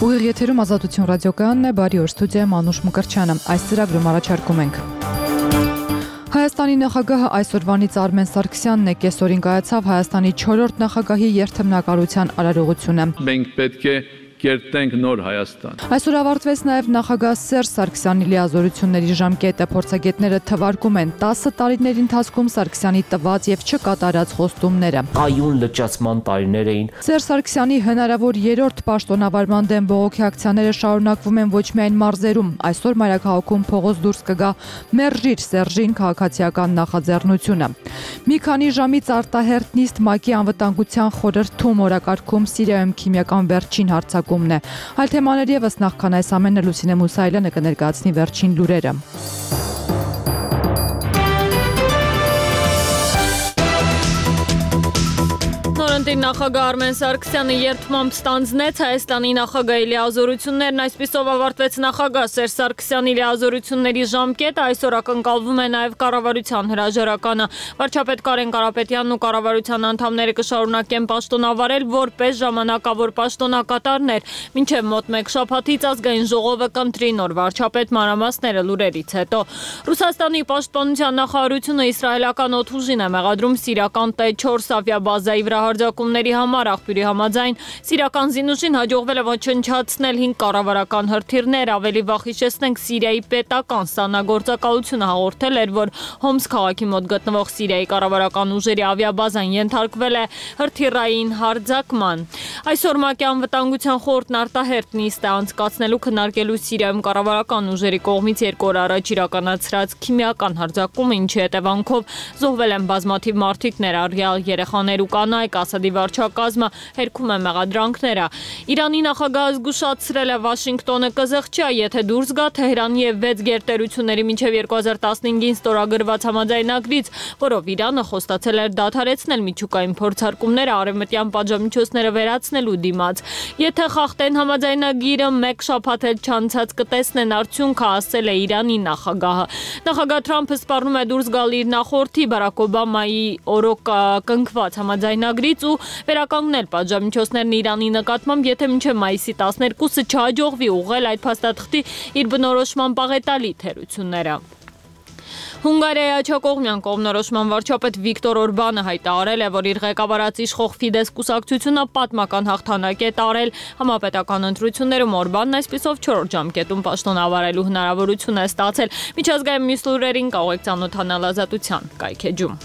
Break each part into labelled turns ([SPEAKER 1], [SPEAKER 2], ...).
[SPEAKER 1] Ուղիղ եթերում Ազատություն ռադիոկայանն է, բարի օր, ստուդիայում Անուշ Մկրտչյանը։ Այս ծրագրում առաջարկում ենք. Հայաստանի նախագահը այսօրվանից Արմեն Սարգսյանն է, կեսօրին կայացավ Հայաստանի 4-րդ նախագահի երթմնակալության արարողությունը։
[SPEAKER 2] Մենք պետք է կերտենք նոր Հայաստան։
[SPEAKER 1] Այսօր ավարտվեց նաև նախագահ Սերժ Սարգսյանի լիազորությունների ժամկետը, փորձագետները թվարկում են 10 տարիների ընթացքում Սարգսյանի տված եւ չկատարած խոստումները։
[SPEAKER 3] Կայուն լճացման տարիներ էին։
[SPEAKER 1] Սերժ Սարգսյանի հնարավոր 3-րդ պաշտոնավարման դեմ բողոքի ակցիաները շարունակվում են ոչ միայն մարզերում, այսօր մայրաքաղաքում փողոց դուրս կգա «Մերժիր Սերժին» քաղաքացիական նախաձեռնությունը։ Մի քանի ժամից արտահերթ նիստ ՄԱԿ-ի անվտանգության խորհրդում օրակարգում Սիրիայում քիմիական վերջին հարձակումն է։ Այլ թեմաներ ևս, նախքան այս ամենը Լուսինե Մուսայելյանը կներկայացնի վերջին լուրերը։ Նորընտիր նախագահ Արմեն Սարգսյանը երթմամբ ստանձնեց Հայաստանի նախագահի լիազորություններն, այսպիսով ավարտվեց նախագահ Սերժ Սարգսյանի լիազորությունների ժամկետը, այսօր ակնկալվում է նաև կառավարության հրաժարականը։ Վարչապետ Կարեն Կարապետյանն ու կառավարության անդամները կշարունակեն պաշտոնավարել որպես ժամանակավոր պաշտոնակատարներ, մինչև մոտ մեկ շաբաթից ազգային ժողովը կընտրի նոր վարչապետ, մանրամասները լուրերից հետո։ Ռուսաստանի պաշտպանության նախարարությունը իսրայելական օդուժին է մեղադրում սիրիական T4 ավիաբազայի վրա հարձակումների համար, աղբյուրի համաձայն սիրիական զինուժին հաջողվել է ոչնչացնել 5 կառավարական հրթիռներ, ավելի վաղ հիշեցնենք Սիրիայի պետական ստանագործակալությունը հաղորդել էր, որ Հոմս քաղաքի մոտ գտնվող Սիրիայի կառավարական ուժերի ավիաբազան ենթարկվել է հրթիռային հարձակման։ Այսօր ՄԱԿ-ի անվտանգության խորհուրդն արտահերթ նիստ է անցկացնելու քննարկելու Սիրիայում կառավարական ուժերի կողմից 2 օր առաջ իրականացրած քիմիական հարձակումը, ինչի հետևանքով զոհվել են բազմաթիվ մարդիկ, ներառյալ երեխաներ ու կանայք, Ասադի վարչակազմը հերքում է մեղադրանքները։ Իրանի նախագահը զգուշացրել է Վաշինգտոնը կզղջա, եթե դուրս գա Թեհրանի եւ 6 գերտերությունների մինչև 2015-ին ստորագրված համաձայնագրից, որով Իրանը խոստացել էր դադարեցնել միջուկային փորձարկումները արևմտյան պատժամիջոցները վերացնելու դիմաց։ Եթե խախտեն համաձայնագիրը, մեկ շաբաթ էլ չանցած կտեսնեն արդյունքը, ասել է Իրանի նախագահը։ Նախագահ Թրամփը սպառնում է դուրս գալ իր նախորդի Բարակ Օբամայի օրոք կնքված համաձայնագրից ու վերականգնել պատժամիջոցներն Իրանի նկատմամբ, եթե մինչև մայիսի 12-ը չհաջողվի ուղղել այդ փաստաթղթի իր բնորոշման պաղետալի թերությունները։ Հունգարիայի աջակողմյան կողմնորոշման վարչապետ Վիկտոր Օրբանը հայտարարել է, որ իր ղեկավարած իշխող Ֆիդես կուսակցությունը պատմական հաղթանակ է տարել համապետական ընտրություններում։ Օրբանն այսպիսով 4 ժամկետում պաշտոնավարելու հնարավորություն է ստացել։ Միջազգային մյուս լուրերին կարող եք ծանոթանալ Ազատության կայքեջում։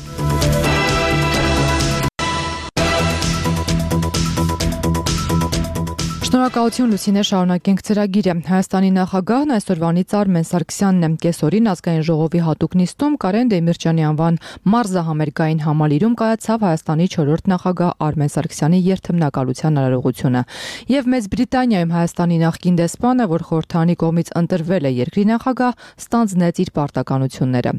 [SPEAKER 1] Շնորհակալություն Լուսինե, շարունակենք ծրագիրը։ Հայաստանի նախագահն այսօրվանից Արմեն Սարգսյանն է, կեսօրին ազգային ժողովի հատուկ նիստում Կարեն Դեմիրճյանի անվան մարզահամերգային համալիրում կայացավ Հայաստանի 4-րդ նախագահ Արմեն Սարգսյանի երթմնակալության արարողությունը։ Եվ Մեծ Բրիտանիայում Հայաստանի նախկին դեսպանը, որ խորհրդարանի կողմից ընտրվել է երկրի նախագահ, ստանձնեց իր պարտականությունները։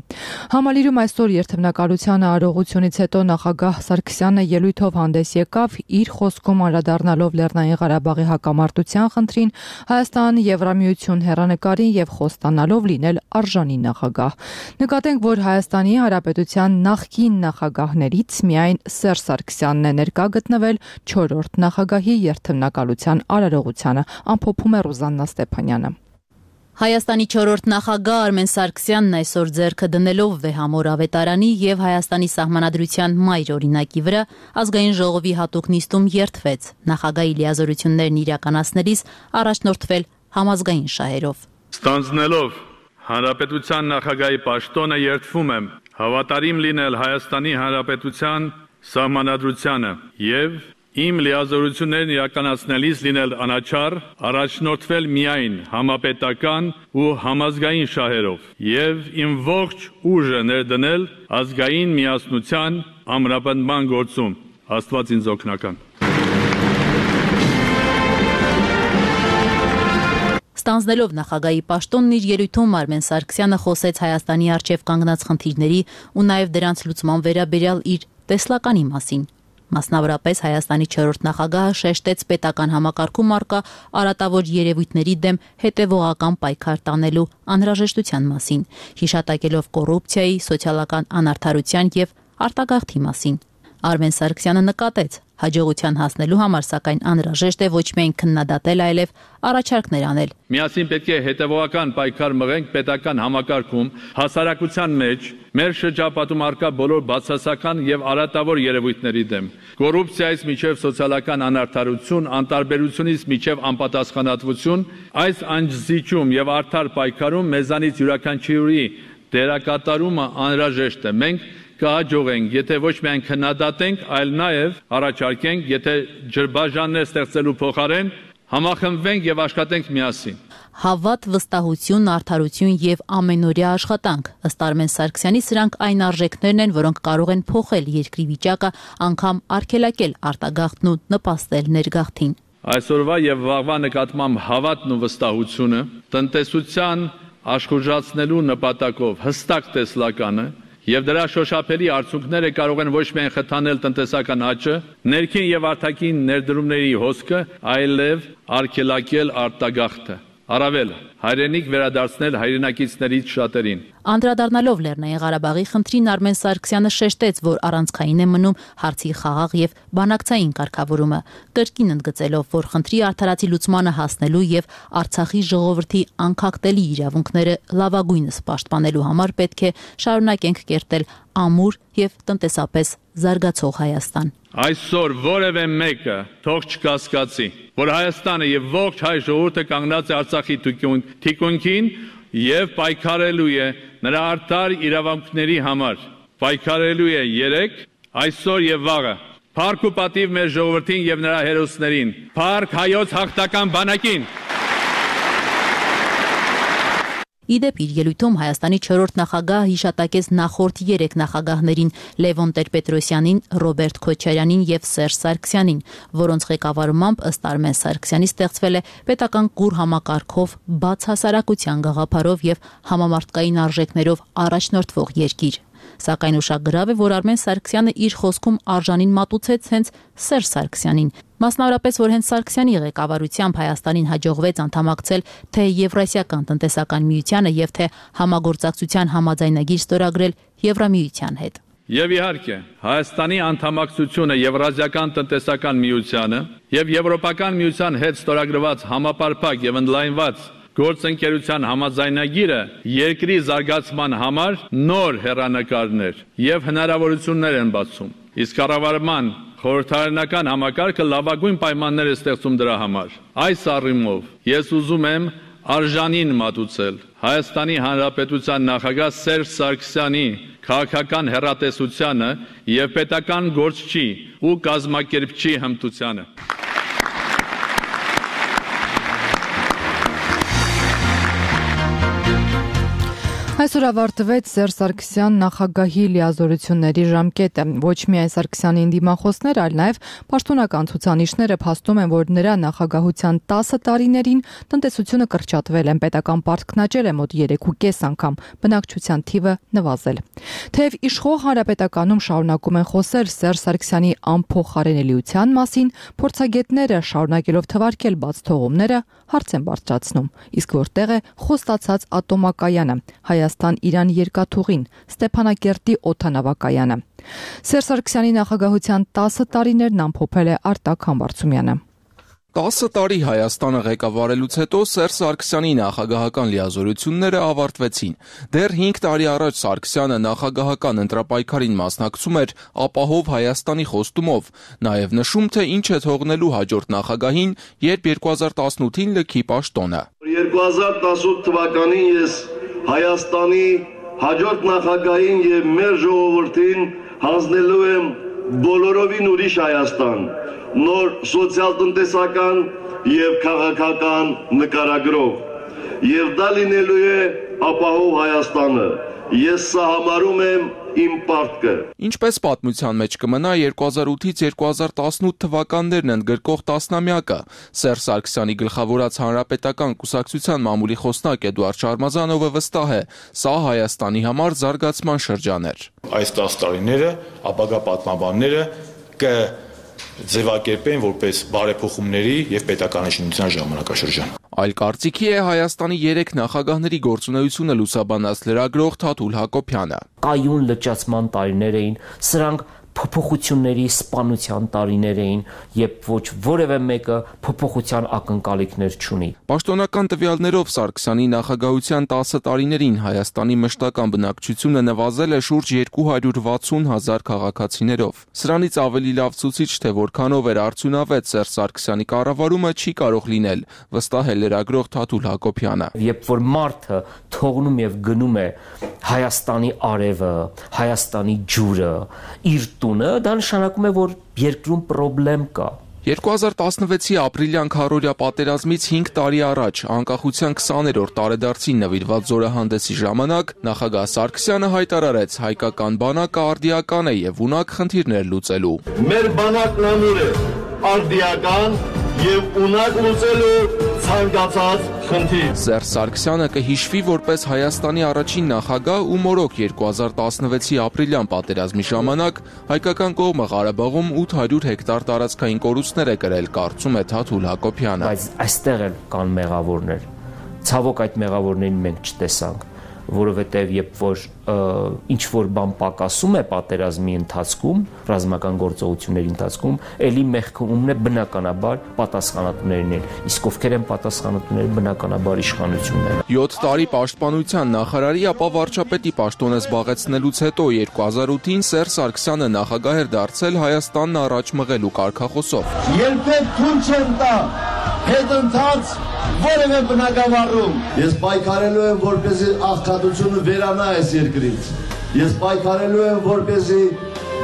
[SPEAKER 1] Համալիրում այսօր երթմնակալության արարողությունից հետո նախագահ Սարգսյանը ելույթով հանդես եկավ, իր խոսքում անդրադառնալով Լեռնային Ղարաբաղի հակամարտության խնդրին, Հայաստան Եվրամիություն հեռանկարին եւ խոստանալով լինել արժանի նախագահ։ Նկատենք, որ Հայաստանի Հանրապետության նախկին նախագահներից միայն Սերժ Սարգսյանն է ներկա գտնվել 4-րդ նախագահի երթմնակալության արարողությանը, ամփոփում է Ռուզաննա Ստեփանյանը։
[SPEAKER 4] Հայաստանի 4-րդ նախագահ Արմեն Սարգսյանն այսօր ձեռքը դնելով Վեհամոր ավետարանի եւ Հայաստանի սահմանադրության մայր օրինակի վրա ազգային ժողովի հատուկ նիստում երթվեց։ Նախագահի լիազորություններն իրականացնելիս առաջնորդվել համազգային շահերով։
[SPEAKER 2] Ստանձնելով Հանրապետության նախագահի պաշտոնը երդվում եմ հավատարիմ լինել Հայաստանի Հանրապետության սահմանադրությանը եւ իմ լիազորություններն իրականացնելիս լինել անաչառ, առաջնորդվել միայն համապետական ու համազգային շահերով եւ իմ ողջ ուժը ներդնել ազգային միասնության ամրապնդման գործում։ Աստված ինձ օգնական։
[SPEAKER 4] Ստանձնելով նախագահի պաշտոնն իր ելույթում Արմեն Սարգսյանը խոսեց Հայաստանի առջև կանգնած խնդիրների ու նաև դրանց լուծման վերաբերյալ իր տեսլականի մասին։ Մասնավորապես Հայաստանի 4-րդ նախագահը շեշտեց պետական համակարգում առկա արատավոր երևույթների դեմ հետևողական պայքար տանելու անհրաժեշտության մասին, հիշատակելով կոռուպցիայի, սոցիալական անարդարության եւ արտագաղթի մասին։ Արմեն Սարգսյանը նկատեց, Հաջողության հասնելու համար սակայն անհրաժեշտ է ոչ միայն քննադատել, այլև առաջարկներ անել։
[SPEAKER 2] Միասին պետք է հետևողական պայքար մղենք պետական համակարգում, հասարակության մեջ, մեր շրջապատում առկա բոլոր բացասական եւ արատավոր երևույթների դեմ։ Կոռուպցիայից միջև սոցիալական անարդարություն, անտարբերությունից միջև անպատասխանատվություն, այս անձիջում եւ արդար պայքարում մեզանից յուրաքանչյուրի դերակատարումը անհրաժեշտ է։ Մենք կհաջողենք, եթե ոչ միայն քննադատենք, այլ նաև առաջարկենք, եթե ջրբաժաններ ստեղծելու փոխարեն համախմբվենք եւ աշխատենք միասին։
[SPEAKER 4] Հավատ, վստահություն, արդարություն եւ ամենօրյա աշխատանք։ Ըստ Արմեն Սարգսյանի սրանք այն արժեքներն են, որոնք կարող են փոխել երկրի վիճակը, անգամ արգելակել արտագաղթն ու նպաստել ներգաղթին։
[SPEAKER 2] Այսօրվա եւ վաղվա նկատմամբ հավատն ու վստահությունը տնտեսության աշխուժացնելու նպատակով հստակ տեսլականը եւ դրա շոշափելի արդյունքները կարող են ոչ միայն խթանել տնտեսական աճը, ներքին եւ արտաքին ներդրումների հոսքը, այլև արգելակել արտագաղթը։ Առավել հայրենիք վերադարձնել հայրենակիցներից շատերին։
[SPEAKER 4] Անդրադառնալով Լեռնային Ղարաբաղի խնդրին Արմեն Սարգսյանը շեշտեց, որ առանցքային է մնում հարցի խաղաղ եւ բանակցային կարգավորումը, կրկին ընդգծելով, որ խնդրի արդարացի լուծմանը հասնելու եւ Արցախի ժողովրդի անկախտելի իրավունքները լավագույնս պաշտպանելու համար պետք է շարունակենք կերտել ամուր եւ տնտեսապես զարգացող Հայաստան։
[SPEAKER 2] Այսօր որևէ մեկը թող չկասկածի, որ Հայաստանը եւ ողջ հայ ժողովուրդը կանգնած է Արցախի թիկունքին եւ պայքարելու է նրա արդար իրավունքների համար։ Պայքարելու է երեք, այսօր եւ վաղը։ Փառք ու պատիվ մեր ժողովրդին եւ նրա հերոսներին։ Փառք հայոց հաղթական բանակին։
[SPEAKER 4] Իդեպ իր ելույթում Հայաստանի 4-րդ նախագահ հիշատակեց նախորդ 3 նախագահներին՝ Լևոն Տեր-Պետրոսյանին, Ռոբերտ Քոչարյանին եւ Սերժ Սարգսյանին, որոնց ղեկավարմամբ ըստ Արմեն Սարգսյանի ստեղծվել է պետական կուր համակարգով, բաց հասարակության գաղափարով եւ համամարտկային արժեքներով առաջնորդվող երկիր։ Սակայն ուշագրավ է, որ Արմեն Սարգսյանը իր խոսքում արժանին մատուցեց հենց Սերժ Սարգսյանին։ Մասնավորապես, որ հենց Սարգսյանի ղեկավարությամբ Հայաստանին հաջողվեց անդամակցել թե Եվրասիական տնտեսական միությանը եւ թե համագործակցության համաձայնագիր ստորագրել Եվրամիության հետ։
[SPEAKER 2] Եվ իհարկե, Հայաստանի անդամակցությունը Եվրազիական տնտեսական միությանը եւ Եվրոպական միության հետ ստորագրված համապարփակ եւ ընդլայնված գործընկերության համաձայնագիրը երկրի զարգացման համար նոր հեռանկարներ եւ հնարավորություններ են բացում։ Իսկ կառավարման խորհրդարանական համակարգը լավագույն պայմաններ է ստեղծում դրա համար։ Այս առումով ես ուզում եմ արժանին մատուցել Հայաստանի Հանրապետության նախագահ Սերժ Սարգսյանի քաղաքական հեռատեսությանը եւ պետական գործչի ու կազմակերպչի հմտությանը։
[SPEAKER 5] Այսօր ավարտվեց Սերժ Սարգսյան նախագահի լիազորությունների ժամկետը։ Ոչ միայն Սարգսյանի դիմախոսներ, այլ նաև պաշտոնական ցուցանիշները փաստում են, որ նրա նախագահության 10 տարիներին տնտեսությունը կրճատվել է, պետական պարտքն աճել է մոտ 3.5 անգամ, բնակչության թիվը նվազել։ Թեև իշխող հանրապետականում շարունակում են խոսել Սերժ Սարգսյանի անփոխարինելիության մասին, փորձագետները շարունակելով թվարկել բաց թողումները հարց են բարձրացնում, իսկ որտեղ է խոստացած ատոմակայանը, Հայաստան-Իրան երկաթուղին, Ստեփանակերտի օդանավակայանը։ Սերժ Սարգսյանի նախագահության 10 տարիներն ամփոփել է Արտակ Համբարձումյանը։
[SPEAKER 6] 10 տարի Հայաստանը ղեկավարելուց հետո Սերժ Սարգսյանի նախագահական լիազորությունները ավարտվեցին։ Դեռ 5 տարի առաջ Սարգսյանը նախագահական ընտրապայքարին մասնակցում էր ապահով Հայաստանի խոստումով, նաև նշում, թե ինչ է թողնելու հաջորդ նախագահին, երբ 2018-ին լքի պաշտոնը։
[SPEAKER 7] 2018 թվականին ես Հայաստանի հաջորդ նախագահին եւ մեր ժողովրդին հանձնելու եմ բոլորովին ուրիշ Հայաստան, նոր սոցիալ-տնտեսական եւ քաղաքական նկարագրով, եւ դա լինելու է ապահով Հայաստանը։ Ես սա համարում եմ իմ պարտքը։
[SPEAKER 6] Ինչպես պատմության մեջ կմնա 2008-ից 2018 թվականներն ընդգրկող տասնամյակը, Սերժ Սարգսյանի գլխավորած հանրապետական կուսակցության մամուլի խոսնակ Էդուարդ Շարմազանովը վստահ է, սա Հայաստանի համար զարգացման շրջան էր։
[SPEAKER 8] Այս 10 տարիները ապագա պատմաբանները ձևակերպեն որպես բարեփոխումների եւ պետականաշինության ժամանակաշրջան։
[SPEAKER 6] Այլ կարծիքի է Հայաստանի 3 նախագահների գործունեությունը լուսաբանած լրագրող Թաթուլ Հակոբյանը։
[SPEAKER 3] Կայուն լճացման տարիներ էին, սրանք փոփոխությունների սպանության տարիներ էին, երբ ոչ որևէ մեկը փոփոխության ակնկալիքներ չունի։
[SPEAKER 6] Պաշտոնական տվյալներով Սարգսյանի նախագահության 10 տարիներին Հայաստանի մշտական բնակչությունը նվազել է շուրջ 260,000 քաղաքացիներով։ Սրանից ավելի լավ ցուցիչ, թե որքանով էր արդյունավետ Սերժ Սարգսյանի կառավարումը, չի կարող լինել, վստահ է լրագրող Թաթուլ Հակոբյանը։
[SPEAKER 3] Երբ որ մարդը թողնում եւ գնում է Հայաստանի արևը, Հայաստանի ջուրը, իր տունը, դա նշանակում է, որ երկրում խնդրեմ կա։
[SPEAKER 6] 2016-ի ապրիլյան քարորյա պատերազմից 5 տարի առաջ անկախության 20-րդ տարեդարձին նվիրված զորահանդեսի ժամանակ նախագահ Սարգսյանը հայտարարեց հայկական բանակը արդիական է եւ ունակ խնդիրներ լուծելու։
[SPEAKER 7] Մեր բանակն ամուր է, արդիական եւ ունակ լուծելու ցանկացած խնդիր։
[SPEAKER 6] Սերժ Սարգսյանը կհիշվի որպես Հայաստանի առաջին նախագահ ու մորոք 2016-ի ապրիլյան պատերազմի ժամանակ հայկական կողմը Ղարաբաղում 800 հեկտար տարածքային կորուստներ է կրել, կարծում է Թաթուլ Հակոբյանը։
[SPEAKER 3] Բայց այստեղ էլ կան մեղավորներ։ Ցավոք այդ մեղավորներին մենք չտեսանք, որովհետև երբ որ ինչ որ բան պակասում է պատերազմի ընթացքում, ռազմական գործողությունների ընթացքում, ելի մեղքումն է բնականաբար պատասխանատուներն են, իսկ ովքեր են պատասխանատուները, բնականաբար իշխանությունն են։
[SPEAKER 6] 7 տարի պաշտպանության նախարարի, ապա վարչապետի պաշտոնը զբաղեցնելուց հետո 2008-ին Սերժ Սարգսյանը նախագահ էր դարձել Հայաստանն առաջ մղելու կարգախոսով։
[SPEAKER 7] Երբեք թույլ չեմ տա հետընթաց որևէ բնակավարում։ Ես պայքարելու եմ, որպեսզի աղքատությունը վերանա այս երկրից։ Ես պայքարելու եմ, որպեսզի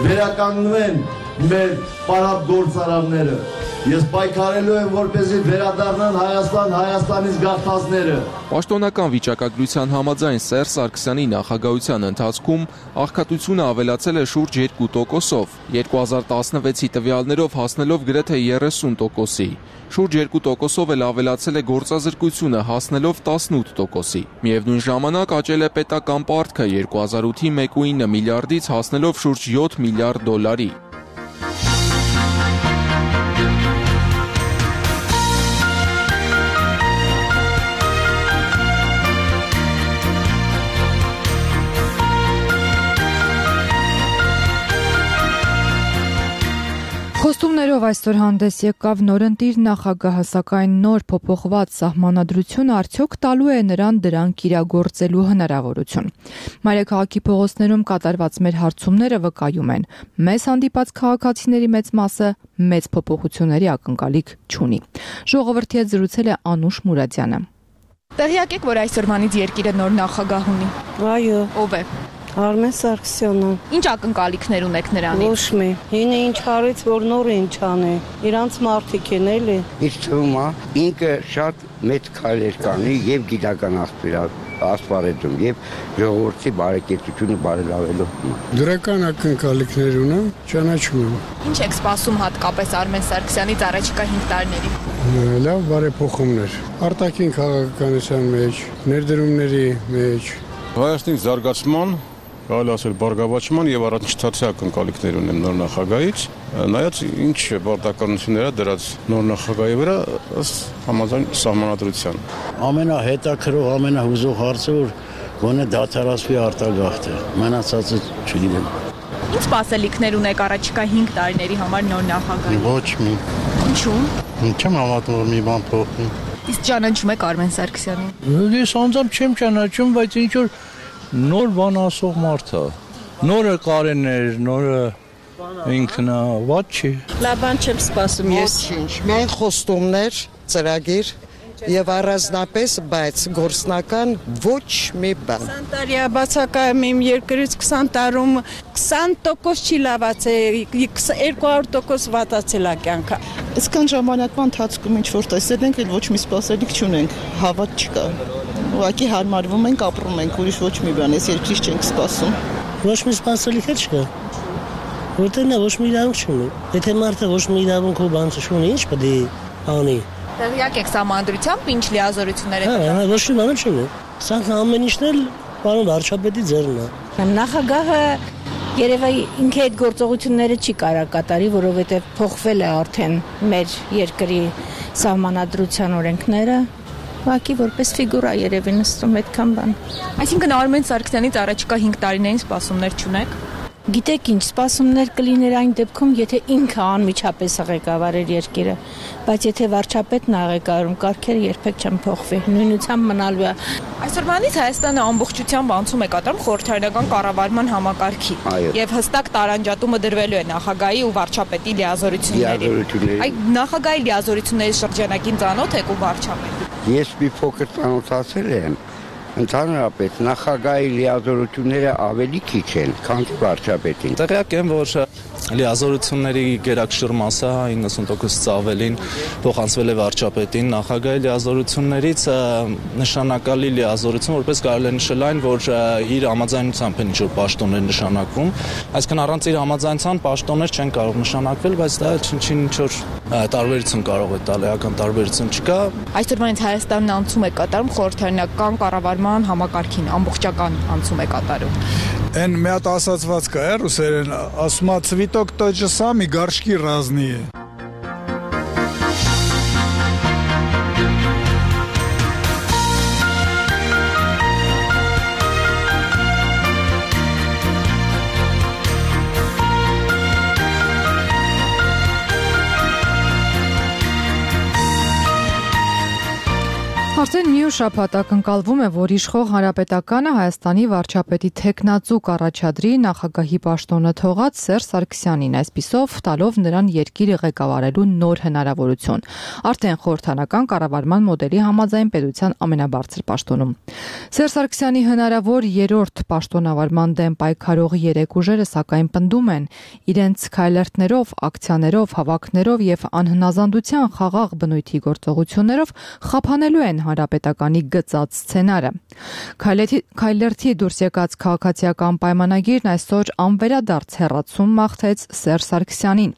[SPEAKER 7] վերականգնվեն մեր պարապ գործարանները։ Ես պայքարելու եմ, որպեսզի վերադառնան Հայաստան, Հայաստանից գաղթածները։
[SPEAKER 6] Պաշտոնական վիճակագրության համաձայն Սերժ Սարգսյանի նախագահության ընթացքում աղքատությունը ավելացել է շուրջ 2%-ով, 2016-ի տվյալներով հասնելով գրեթե 30%-ի։ Շուրջ 2%-ով էլ ավելացել է գործազրկությունը, հասնելով 18%-ի։ Միևնույն ժամանակ աճել է պետական պարտքը 2008-ի 1.9 միլիարդից հասնելով շուրջ 7 միլիարդ դոլարի։
[SPEAKER 5] Խոստումներով այսօր հանդես եկավ նորընտիր նախագահը, սակայն նոր փոփոխված սահմանադրությունը արդյոք տալու է նրան դրանք իրագործելու հնարավորություն։ Մայրաքաղաքի փողոցներում կատարված մեր հարցումները վկայում են, մեզ հանդիպած քաղաքացիների մեծ մասը մեծ փոփոխությունների ակնկալիք չունի։ Ժողովրդի հետ զրուցել է Անուշ Մուրադյանը։
[SPEAKER 9] Տեղյակ եք, որ այսօրվանից երկիրը նոր նախագահ ունի։
[SPEAKER 10] Այո։
[SPEAKER 9] Ով է։
[SPEAKER 10] Արմեն Սարգսյանը։
[SPEAKER 9] Ինչ ակնկալիքներ ունեք նրանից։
[SPEAKER 10] Ոչ մի։ Հինը ինչ արեց, որ նորը ինչ անի։ Իրանց մարդիկ են էլի։
[SPEAKER 11] Ինչ թվում է, ինքը շատ մեծ քայլեր կանի եւ գիտական ասպարեզում եւ ժողովրդի բարեկեցությունը բարելավելու։
[SPEAKER 12] Դրական ակնկալիքներ ունեմ, ճանաչում եմ։
[SPEAKER 9] Ինչ եք սպասում հատկապես Արմեն Սարգսյանից առաջիկա 5 տարիներին։
[SPEAKER 12] Լավ բարեփոխումներ։ Արտաքին քաղաքականության մեջ, ներդրումների մեջ,
[SPEAKER 13] Հայաստանի զարգացման, կարելի ասել բարգավաճման եւ առաջընթացի ակնկալիքներ ունեմ նոր նախագահից, նայած ինչ բարդականություններ է դրած նոր նախագահի վրա ըստ համաձայն սահմանադրության։
[SPEAKER 14] Ամենահետաքրող, ամենահուզող հարցը որ գոնե դադարացվի արտագաղթը, մնացածը չգիտեմ։
[SPEAKER 9] Ինչ սպասելիքներ ունեք առաջիկա 5 տարիների համար նոր նախագահի։
[SPEAKER 12] Ոչ մի։
[SPEAKER 9] Ինչու՞։
[SPEAKER 12] Չեմ հավատում, որ մի բան փոխվի։
[SPEAKER 9] Իսկ ճանաչում եք Արմեն Սարգսյանին։
[SPEAKER 12] Ես անձամբ չեմ ճանաչում, բայց ինչ որ նոր բան ասող մարդ է։ Նորը Կարեններ, նորը ինքնա, ված չի։
[SPEAKER 10] Լավ բան չեմ սպասում ես։ Ոչինչ, միայն խոստումներ, ծրագիր եւ առանձնապես, բայց գործնական ոչ մի բան։ 20 տարի բացակայում իմ երկրից 20 տարում 20% չի լավացել, 200% վատացել է կյանքը։
[SPEAKER 15] Այսքան ժամանակվա ընթացքում ինչ որ տեսել ենք, ոչ մի սպասելիք չունենք, հավատ չկա։ Ուղղակի հարմարվում ենք, ապրում ենք, ուրիշ ոչ մի բան, այս երկրից չենք սպասում։
[SPEAKER 16] Ոչ մի սպասելիք չկա։ Որտեղ նա ոչ մի իրավունք չունի։ Եթե մարդը ոչ մի իրավունք ու բան չունի, ինչ պետք է անի։
[SPEAKER 9] Տեղյակ եք սահմանադրությամբ ինչ լիազորություններ եք։
[SPEAKER 16] Հա, ոչ մի բան չունի։ Սա ամեն ինչն էլ պարոն վարչապետի ձեռն է։
[SPEAKER 17] Նախագահը երևի ինքը այդ գործողությունները չի կարող կատարի, որովհետև փոխվել է արդեն մեր երկրի սահմանադրության օրենքները։ Ուղղակի որպես ֆիգուրա երևի նստում այդքան բան։
[SPEAKER 9] Այսինքն Արմեն Սարգսյանից առաջիկա 5 տարիներին սպասումներ չունեք։
[SPEAKER 17] Գիտեք ինչ, սպասումներ կլիներ այն դեպքում, եթե ինքը անմիջապես ղեկավարեր երկիրը, բայց եթե վարչապետն է ղեկավարում, կարգերը երբեք չեն փոխվի, նույնությամբ մնալու է։
[SPEAKER 9] Այսօրվանից Հայաստանը ամբողջությամբ անցում է կատարում խորհրդարանական կառավարման համակարգի եւ հստակ տարանջատումը դրվելու է նախագահի ու վարչապետի լիազորությունների։ Այդ նախագահի լիազորությունների շրջանակին ծանոթ եք ու վարչապետի։
[SPEAKER 11] Ես մի փոքր ծանոթացել եմ։ Ընդհանրապես նախագահի լիազորությունները ավելի քիչ են, քան վարչապետին։
[SPEAKER 18] Տեղյակ եմ, որ լիազորությունների գերակշռ մասը 90%-ից ավելին փոխանցվել է վարչապետին, նախագահի լիազորություններից նշանակալի լիազորություն, որպես կարելի է նշել այն, որ իր համաձայնությամբ են ինչ-որ պաշտոններ նշանակվում, այսինքն առանց իր համաձայնության պաշտոններ չեն կարող նշանակվել, բայց դա ինչ-որ տարբերություն կարող է տալ, էական տարբերություն չկա։
[SPEAKER 9] Այսօրվանից Հայաստանն անցում է կատարում խորհրդարանական կառավարման համակարգին, ամբողջական անցում է կատարում։
[SPEAKER 19] Այն մի հատ ասացված կա, ռուսերեն, ասում է «Цветок тот же самый, горшки разные»։
[SPEAKER 5] Արդեն մի շաբաթ ակնկալվում է, որ իշխող հանրապետականը Հայաստանի վարչապետի թեկնածու կառաջադրի նախագահի պաշտոնը թողած Սերժ Սարգսյանին, այսպիսով տալով նրան երկիրը ղեկավարելու նոր հնարավորություն։ Արդեն խորհրդարանական կառավարման մոդելի համաձայն պետության ամենաբարձր պաշտոնում։ Սերժ Սարգսյանի հնարավոր երրորդ պաշտոնավարման դեմ պայքարող երեք ուժերը սակայն պնդում են, իրենց քայլերթներով, ակցիաներով, հավաքներով եւ անհնազանդության խաղաղ բնույթի գործողություններով խափանելու են հանրապետականի գծած սցենարը։ Քայլերթի դուրս եկած քաղաքացիական պայմանագիրն այսօր անվերադարձ հեռացում մաղթեց Սերժ Սարգսյանին։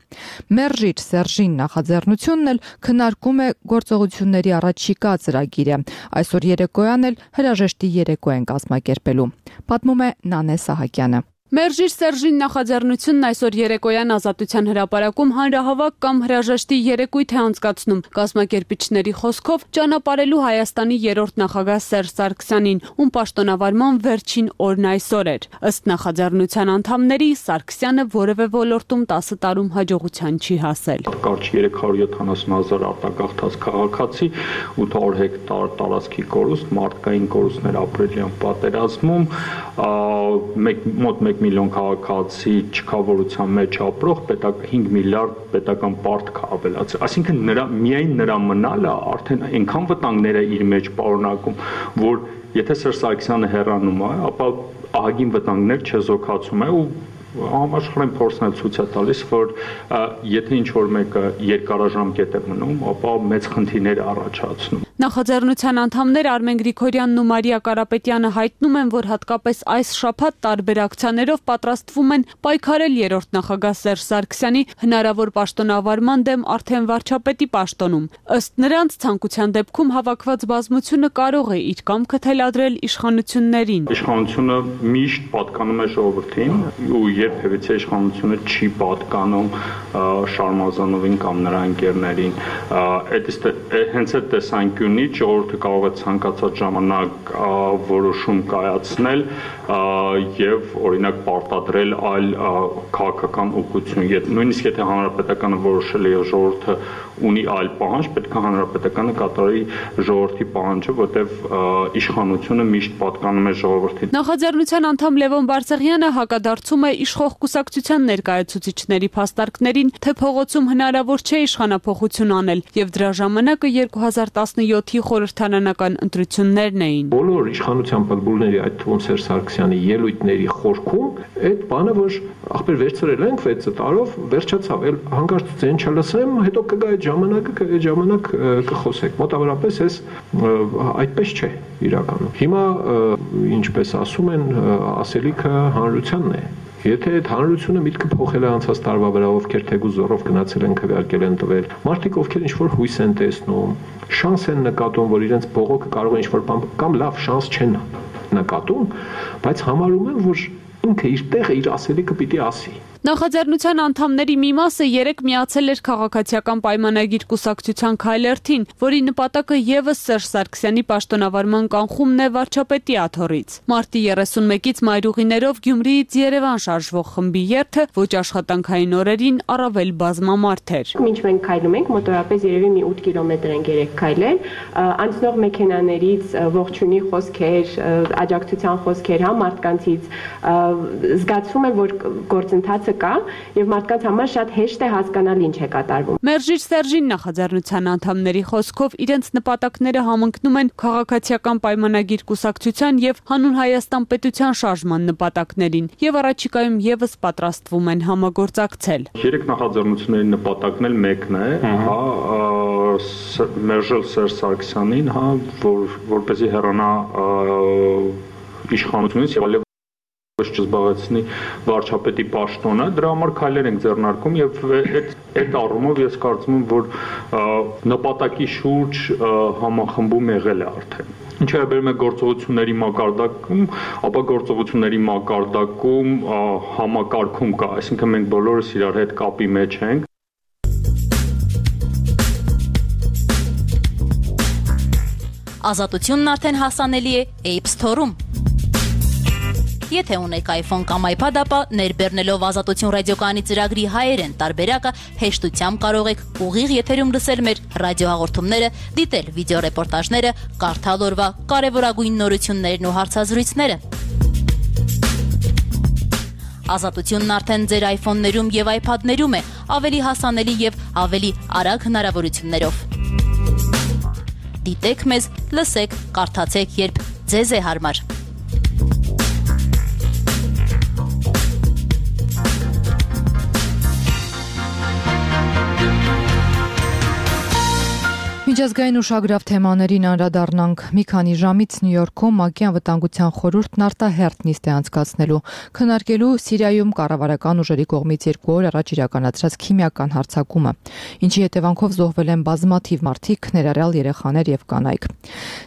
[SPEAKER 5] Մերժիր Սերժին նախաձեռնությունն էլ քննարկում է գործողությունների առաջիկա ծրագիրը։ Այսօր երեկոյան էլ հրաժեշտի երեկո են կազմակերպելու։ Պատմում է Նանե Սահակյանը։
[SPEAKER 20] Մերժիր Սերժին նախաձեռնությունն այսօր երեկոյան Ազատության հրապարակում հանրահավաք կամ հրաժեշտի երեկույթ է անցկացնում։ Կազմակերպիչների խոսքով ճանապարհելու Հայաստանի երրորդ նախագահ Սերժ Սարգսյանին, ում պաշտոնավարման վերջին օրն այսօր էր։ Ըստ նախաձեռնության անդամների, Սարգսյանը որևէ ոլորտում 10 տարում հաջողության չի հասել։
[SPEAKER 21] Կարճ 370,000 արտագաղթած քաղաքացի, 800 հեկտար տարածքի կորուստ, մարդկային կորուստներ ապրիլյան պատերազմում, մոտ 1 միլիոն քաղաքացի չքավորության մեջ ապրող 5 միլիարդ պետական պարտք ավելացել։ Այսինքն միայն նրա մնալը արդեն այնքան վտանգներ է իր մեջ պարունակում, որ եթե Սերժ Սարգսյանը հեռանում է, ապա ահագին վտանգներ չեզոքացում է ու համաշխարհային փորձն ցույց է տալիս, որ եթե ինչ-որ մեկը երկարաժամկետ է մնում, ապա մեծ խնդիրներ առաջացնում։
[SPEAKER 20] Նախաձեռնության անդամներ Արմեն Գրիգորյանն ու Մարիա Կարապետյանը հայտնում են, որ հատկապես այս շաբաթ տարբեր ակցիաներով պատրաստվում են պայքարել երրորդ նախագահ Սերժ Սարգսյանի հնարավոր պաշտոնավարման դեմ արդեն վարչապետի պաշտոնում։ Ըստ նրանց, ցանկության դեպքում հավաքված բազմությունը կարող է իր կամքը թելադրել իշխանություններին։
[SPEAKER 21] Իշխանությունը միշտ պատկանում է ժողովրդին ու երբևիցե իշխանությունը չի պատկանում Շարմազանովին կամ նրա ընկերներին։ Հենց այդ տեսանկյունից ժողովուրդը կարող է ցանկացած ժամանակ որոշում կայացնել եւ օրինակ պարտադրել այլ քաղաքական ուղղություն։ Նույնիսկ եթե հանրապետականը որոշել է եւ ժողովուրդը ունի այլ պահանջ, պետք է հանրապետականը կատարի ժողովրդի պահանջը, որտեղ իշխանությունը միշտ պատկանում է ժողովրդին։
[SPEAKER 20] Նախաձեռնության անդամ Լևոն Բարսեղյանը հակադարձում է իշխող կուսակցության ներկայացուցիչների փաստարկներին, թե փողոցում հնարավոր չէ իշխանափոխություն անել եւ դրա ժամանակը 2017-ի խորհրդարանական ընտրություններն էին։
[SPEAKER 22] Բոլոր իշխանության պատմուլների, այդ թվում Սերժ Սարգսյանի ելույթների խորքում այդ բանը, որ ախպեր վերցրել ենք 6 տարով, վերջացավ, հանկարծ ձեն չլսեմ, հետո կգա այդ ժամանակ կխոսեք։ Մոտավորապես էս այդպես չէ իրականում։ Հիմա ինչպես ասում են, ասելիքը հանրությանն է։ Եթե այդ հանրությունը միտքը փոխել է անցած տարվա վրա, ովքեր թեգուզ զորով գնացել են քվեարկել են տվել, մարդիկ ովքեր ինչ-որ հույս են տեսնում, շանս են նկատում, որ իրենց բողոքը կարող է ինչ-որ բան կամ լավ շանս չեն նկատում, բայց համարում են, որ ինքը իր տեղը իր ասելիքը պիտի ասի։
[SPEAKER 20] Նախաձեռնության անդամների մի մասը երեկ միացել էր քաղաքացիական պայմանագիր կուսակցության քայլերթին, որի նպատակը եւս Սերժ Սարգսյանի պաշտոնավարման կանխումն է վարչապետի աթոռից։ Մարտի 31-ից մայրուղիներով Գյումրիից Երևան շարժվող խմբի երթը ոչ աշխատանքային օրերին առավել բազմամարդ էր։
[SPEAKER 1] Մինչ մենք քայլում ենք, մոտորապես երևի մի 8 կիլոմետր ենք երեք քայլել, անցնող մեքենաներից ողջունի խոսքեր, աջակցության խոսքեր, մարդկանցից զգացվում է, որ գործընթացը կա եւ մարդկանց համար շատ հեշտ է հասկանալ ինչ է կատարվում։
[SPEAKER 20] Մերժիր Սերժին նախաձեռնության անդամների խոսքով իրենց նպատակները համընկնում են քաղաքացիական պայմանագիր կուսակցության եւ հանուն Հայաստան պետության շարժման նպատակներին եւ առաջիկայում եւս պատրաստվում են համագործակցել։
[SPEAKER 21] Երեք նախաձեռնությունների նպատակն էլ մեկն է, մերժել Սերժ Սարգսյանին, որպեսզի հեռանա իշխանությունից եւ չզբաղեցնի վարչապետի պաշտոնը, դրա համար քայլեր ենք ձեռնարկում եւ այդ առումով ես կարծում եմ, որ նպատակի շուրջ համախմբում եղել է արդեն։ Ինչը վերաբերում է գործողությունների մակարդակում, ապա գործողությունների մակարդակում համակարգում կա, այսինքն մենք բոլորս իրար հետ կապի մեջ ենք։
[SPEAKER 4] Ազատությունն արդեն հասանելի է App Store-ում։ Եթե ունեք iPhone կամ iPad, ապա ներբեռնելով Ազատություն ռադիոկայանի ծրագրի հայերեն տարբերակը հեշտությամբ կարող եք ուղիղ եթերում լսել մեր ռադիոհաղորդումները, դիտել վիդեոռեպորտաժները, կարդալ օրվա կարևորագույն նորություններն ու հարցազրույցները։ Ազատությունն արդեն ձեր iPhone-ներում եւ iPad-ներում է, ավելի հասանելի եւ ավելի արագ հնարավորություններով։ Դիտեք մեզ, լսեք, կարդացեք, երբ ձեզ է հարմար։
[SPEAKER 5] Միջազգային ուշագրավ թեմաներին անդրադառնանք։ Մի քանի ժամից Նյու Յորքում ՄԱԿ-ի անվտանգության խորհուրդն արտահերթ նիստ է անցկացնելու, քննարկելու Սիրիայում կառավարական ուժերի կողմից 2 օր առաջ իրականացրած քիմիական հարձակումը, ինչի հետևանքով զոհվել են բազմաթիվ մարդիկ, ներառյալ երեխաներ եւ կանայք։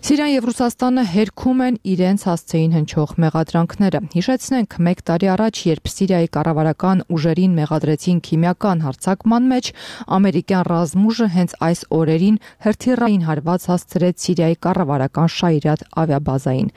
[SPEAKER 5] Սիրիան եւ Ռուսաստանը հերքում են իրենց հասցեին հնչող մեղադրանքները։ Հիշեցնենք, 1 տարի առաջ, երբ Սիրիայի կառավարական ուժերին մեղադրեցին քիմիական հարձակման մեջ, ամերիկյան ռազմուժը հենց այս օրերին հրթիռային հարված հասցրեց Սիրիայի կառավարական Շայրիաթ ավիաբազային։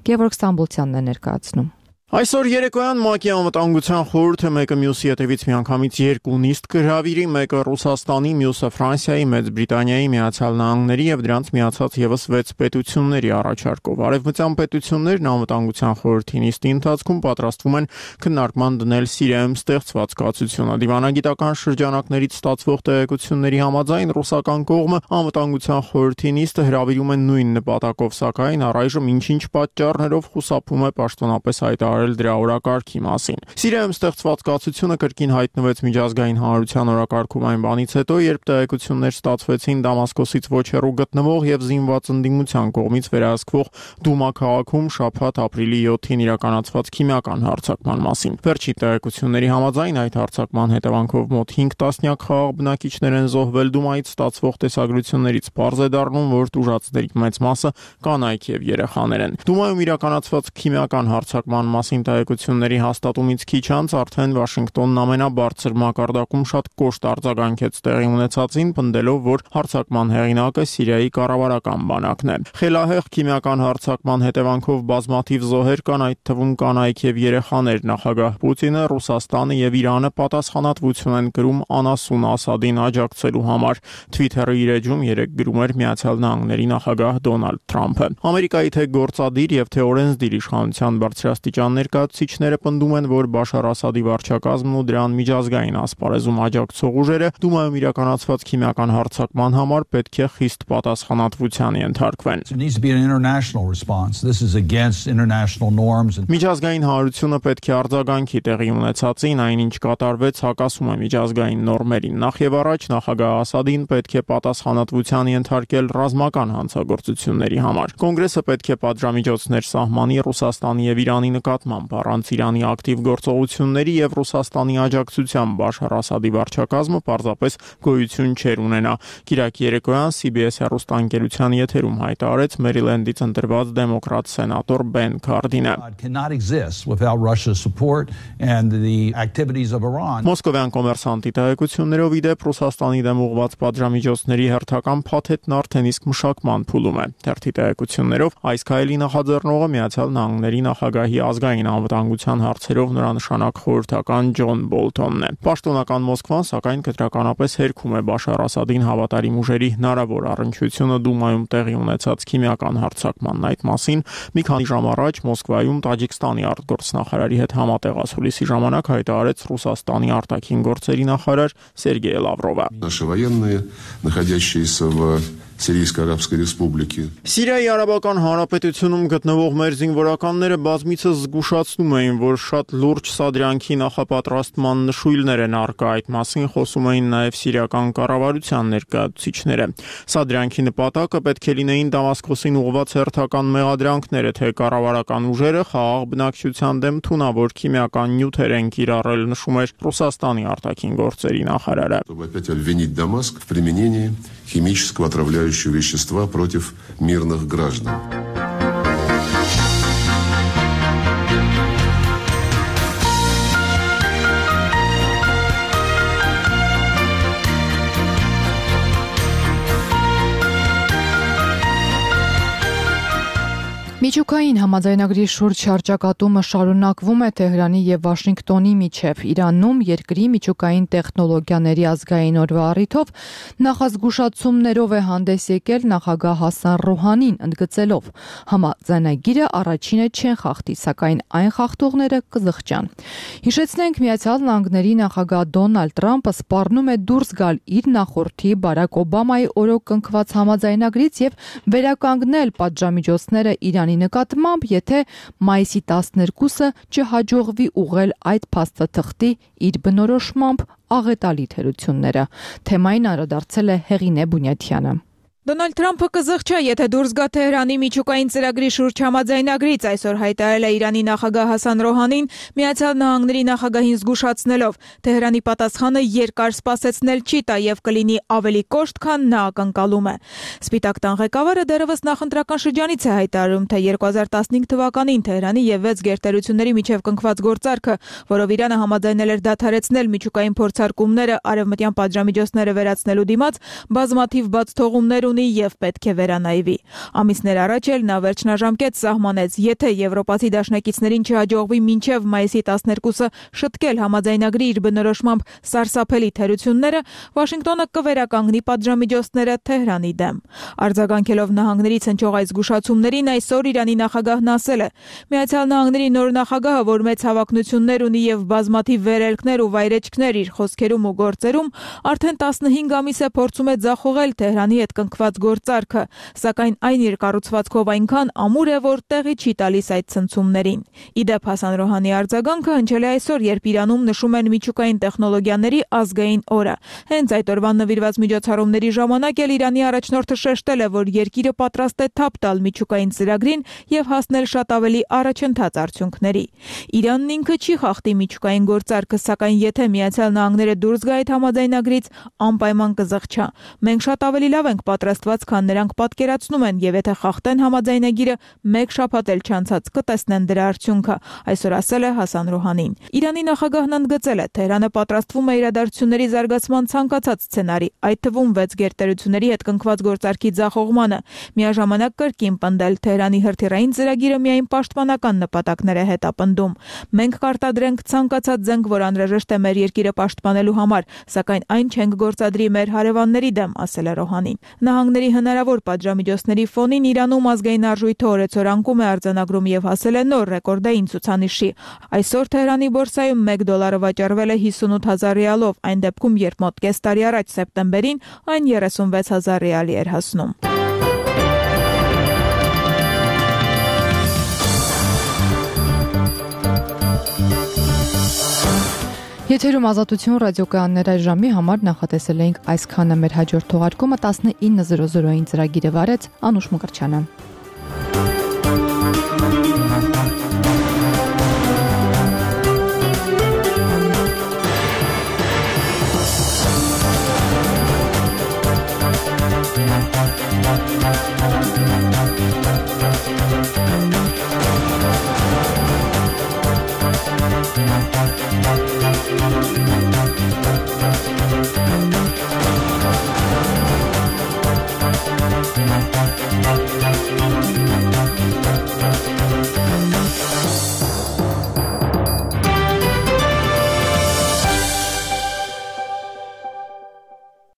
[SPEAKER 5] Գևորգ Ստամբոլցյանն է ներկայացնում։
[SPEAKER 23] Այսօր երեկոյան ՄԱԿ-ի անվտանգության խորհուրդը մեկը մյուսի հետևից միանգամից 2 նիստ կհրավիրի, մեկը Ռուսաստանի, մյուսը Ֆրանսիայի, Մեծ Բրիտանիայի, Միացյալ Նահանգների եւ դրանց միացած եւս 6 պետությունների առաջարկով։ Արևմտյան պետություններն անվտանգության խորհրդի նիստի ընթացքում պատրաստվում են քննարկման դնել Սիրիայում ստեղծված կացությունը։ Դիվանագիտական շրջանակներից ստացվող տեղեկությունների համաձայն ռուսական կողմը անվտանգության խորհրդի նիստը հրավիրում են նույն նպատակով, սակայն առայժմ ինչ-ինչ պատճառներով խուսափում է պաշտոնապես հայտարարել դրա օրակարգի մասին։ Սիրիայում ստեղծված կացությունը կրկին հայտնվեց միջազգային հանրության օրակարգում այն բանից հետո, երբ տեղեկություններ ստացվեցին Դամասկոսից ոչ հեռու գտնվող եւ զինված ընդդիմության կողմից վերահսկվող Դումա քաղաքում շաբաթ ապրիլի 7-ին իրականացված քիմիական հարձակման մասին։ Վերջի տեղեկությունների համաձայն այդ հարձակման հետևանքով մոտ 5 տասնյակ խաղաղ բնակիչներ են զոհվել։ Դումայից ստացվող տեսագրություններից պարզ է դառնում, որ տուժածների մեծ մասը կանայք եւ երեխաներ են։ Դումայում իրականացված քիմիական հարձակման մասին տեղեկությունների հաստատումից քիչ անց արդեն Վաշինգտոնն ամենաբարձր մակարդակում շատ կոշտ արձագանքեց տեղի ունեցածին, պնդելով, որ հարձակման հեղինակը Սիրիայի կառավարական բանակն է։ Խելահեղ քիմիական հարձակման հետևանքով բազմաթիվ զոհեր կան, այդ թվում կանայք եւ երեխաներ։ Նախագահ Պուտինը, Ռուսաստանը եւ Իրանը պատասխանատվություն են կրում անասուն Ասադին աջակցելու համար։ Twitter-ի իր էջում երեք գրում էր Միացյալ Նահանգների նախագահ Դոնալդ Թրամփը։ Ամերիկայի թե գործադիր եւ թե օրենսդիր իշխանության բարձրաստիճան ներկայացուցիչները պնդում են, որ Բաշար Ասադի վարչակազմն ու դրան միջազգային ասպարեզում աջակցող ուժերը Դումայում իրականացված քիմիական հարձակման համար պետք է խիստ պատասխանատվության ենթարկվեն։ Միջազգային հանրությունը պետք է արձագանքի տեղի ունեցածին, այնինչ կատարվեց հակասում է միջազգային նորմերին։ Նախ եւ առաջ նախագահ Ասադին պետք է պատասխանատվության ենթարկել ռազմական հանցագործությունների համար։ Կոնգրեսը պետք է պատժամիջոցներ սահմանի Ռուսաստանի եւ Իրանի նկատմամբ նկատմամբ առանց Իրանի ակտիվ գործողությունների եւ Ռուսաստանի աջակցությամբ Բաշար Ասադի վարչակազմը պարզապես գոյություն չէր ունենա։ Կիրակի երեկոյան CBS հեռուստաընկերության եթերում հայտարարեց Մերիլենդից ընտրված դեմոկրատ սենատոր Բեն Քարդինը։ Մոսկովյան կոմերսանտի տեղեկություններով ի դեպ Ռուսաստանի դեմ ուղղված պատժամիջոցների հերթական փաթեթն արդեն իսկ մշակման փուլում է։ Թերթի տեղեկություններով այս քայլի նախաձեռնողը Միացյալ Նահանգների նախագահի ազգային անվտանգության հարցերով նորանշանակ խորհրդական Ջոն Բոլթոնն է։ Պաշտոնական Մոսկվան սակայն կտրականապես հերքում է Բաշար Ասադին հավատարիմ ուժերի հնարավոր առնչությունը Դումայում տեղի ունեցած քիմիական հարձակմանն այդ մասին մի քանի ժամ առաջ Մոսկվայում Տաջիկստանի արտգործնախարարի հետ համատեղ ասուլիսի ժամանակ հայտարարեց Ռուսաստանի արտաքին գործերի նախարար Սերգեյ Լավրովը։
[SPEAKER 2] Наши военные, находящиеся в Сирийской Арабской Республике.
[SPEAKER 23] Սիրիայի Արաբական Հանրապետությունում գտնվող մեր զինվորականները բազմիցս զգուշացնում էին, որ շատ լուրջ սադրյանքի նախապատրաստման նշույլներ են առկա, այդ մասին խոսում էին նաև սիրիական կառավարության ներկայացուցիչները։ Սադրյանքի նպատակը պետք է լինեին Դամասկոսին ուղղված հերթական մեղադրանքները, թե կառավարական уժերը խաղաղ бնակչության դեմ թունավոր քիմիական նյութեր են կիրառել, նշում էր Ռուսաստանի արտաքին գործերի նախարարը։
[SPEAKER 2] Чтобы опять обвинить Дамаск в применении химического отравляющего вещества против мирных граждан.
[SPEAKER 5] Միջուկային համաձայնագրի շուրջ շրջակատումը շարունակվում է Թեհրանի եւ Վաշինգտոնի միջև։ Իրանում երկրի միջուկային տեխնոլոգիաների ազգային օրվա առիթով նախազգուշացումներով է հանդես եկել նախագահ Հասան Ռոհանին, ընդգծելով. համաձայնագիրը առաջինը չեն խախտի, սակայն այն խախտողները կզղջան։ Հիշեցնենք, Միացյալ Նահանգների նախագահ Դոնալդ Թրամփը սպառնում է դուրս գալ իր նախորդի Բարակ Օբամայի օրոք կնքված համաձայնագրից եւ վերականգնել պատժամիջոցները Իրանի նկատմամբ, եթե մայիսի 12-ը չհաջողվի ուղղել այդ փաստաթղթի իր բնորոշմամբ աղետալի թերությունները։ Թեմային անդրադարձել է Հեղինե Բունյաթյանը։
[SPEAKER 9] Դոնալդ Թրամփը կզղջա, եթե դուրս գա Թեհրանի միջուկային ծրագրի շուրջ համաձայնագրից, այսօր հայտարարել է Իրանի նախագահ Հասան Ռոհանին, Միացյալ Նահանգների նախագահին զգուշացնելով. Թեհրանի պատասխանը երկար սպասեցնել չի տա եւ կլինի ավելի կոշտ, քան նա ակնկալում է։ Սպիտակ տան ղեկավարը դեռևս նախընտրական շրջանից է հայտարարում, թե 2015 թվականին Թեհրանի եւ 6 գերտերությունների միջև կնքված գործարքը, որով Իրանը համաձայնել էր դադարեցնել միջուկային փորձարկումները արևմտյան պատժամիջոցները վերացնելու դիմաց, բազմաթիվ բաց թողումներ ունի եւ պետք է վերանայվի։ Ամիսներ առաջ էլ նա վերջնաժամկետ սահմանեց, եթե եվրոպացի դաշնակիցներին չհաջողվի մինչև մայիսի 12-ը շտկել համաձայնագրի իր բնորոշմամբ սարսափելի թերությունները, Վաշինգտոնը կվերականգնի պատժամիջոցները Թեհրանի դեմ։ Արձագանքելով նահանգներից հնչող այս զգուշացումներին, այսօր Իրանի նախագահն ասել է. Միացյալ Նահանգների նոր նախագահը, որ մեծ հավակնություններ ունի եւ բազմաթիվ վերելքներ ու վայրեջքներ իր խոսքերում ու գործերում, արդեն 15 ամիս է փորձում է ձախողել Թեհրանի հետ կնքված գործարքը, սակայն այն իր կառուցվածքով այնքան ամուր է, որ տեղի չի տալիս այդ ցնցումներին։ Իդեպ Հասան Ռոհանի արձագանքը հնչել է այսօր, երբ Իրանում նշում են միջուկային տեխնոլոգիաների ազգային օրը։ Հենց այդ օրվան նվիրված միջոցառումների ժամանակ էլ Իրանի առաջնորդը շեշտել է, որ երկիրը պատրաստ է թափ տալ միջուկային ծրագրին եւ հասնել շատ ավելի առաջընթաց արդյունքների։ Իրանն ինքը չի խախտի միջուկային գործարքը, սակայն եթե Միացյալ Նահանգները դուրս գա այդ համաձայնագրից, անպայման կզղջա։ Մենք շատ ավելի լավ ենք պատրաստված, քան նրանք պատկերացնում են, եւ եթե խախտեն համաձայնագիրը, մեկ շաբաթ էլ չանցած կտեսնեն դրա արդյունքը, այսօր ասել է Հասան Ռոհանին։ Իրանի նախագահն ընդգծել է, Թեհրանը պատրաստվում է իրադարձությունների զարգացման ցանկացած սցենարի, այդ թվում 6 գերտերությունների հետ կնքված գործարքի ձախողմանը, միաժամանակ կրկին պնդել Թեհրանի հրթիռային ծրագիրը միայն պաշտպանական նպատակներ է հետապնդում։ Մենք կարտադրենք ցանկացած զենք, որ անհրաժեշտ է մեր երկիրը պաշտպանելու համար, սակայն այն չենք գործադրի մեր հարևանների դեմ, ասել է Ռոհանին։ Նահանգների հնարավոր պատժամիջոցների ֆոնին Իրանում ազգային արժույթը օրեցօր անկում է արձանագրում եւ հասել է նոր ռեկորդային ցուցանիշի։ Այսօր Թեհրանի բորսայում $1 վաճառվել է 58,000 ռիալով, այն դեպքում, երբ մոտ կես տարի առաջ սեպտեմբերին այն 36,000 ռիալի էր հասնում։
[SPEAKER 5] Եթերում Ազատություն ռադիոկայաններ այս ժամի համար նախատեսել էինք այսքանը, մեր հաջորդ թողարկումը 19:00-ին ծրագիրը վարեց Անուշ Մկրտչյանը։
[SPEAKER 3] Thank you.